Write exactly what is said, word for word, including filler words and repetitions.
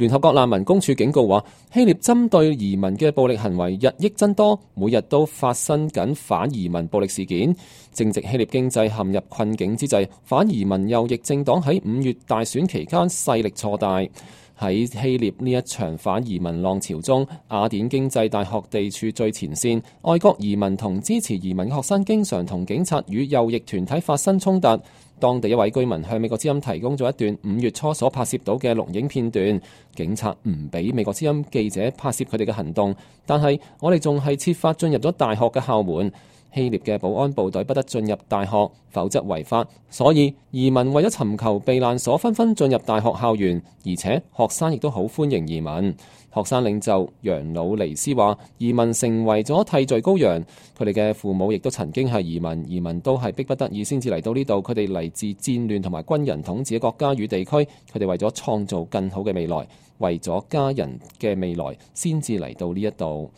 聯合國難民公署警告話，希臘針對移民嘅暴力行為日益增多，每日都發生緊反移民暴力事件。正值希臘經濟陷入困境之際，反移民右翼政黨喺五月大選期間勢力錯大。喺希臘呢一場反移民浪潮中，雅典經濟大學地處最前線，外國移民同支持移民嘅學生經常同警察與右翼團體發生衝突。當地一位居民向美國之音提供咗一段五月初所拍攝到嘅錄影片段，警察唔俾美國之音記者拍攝佢哋嘅行動，但係我哋仲係設法進入咗大學嘅校門。希臘嘅保安部隊不得進入大學，否則違法。所以移民為咗尋求避難所，紛紛進入大學校園，而且學生亦都好歡迎移民。學生領袖楊魯尼斯話：移民成為咗替罪羔羊，佢哋嘅父母亦都曾經係移民，移民都係逼不得已先至嚟到呢度。佢哋嚟自戰亂同埋軍人統治嘅國家與地區，佢哋為咗創造更好嘅未來，為咗家人嘅未來，先至嚟到呢一度。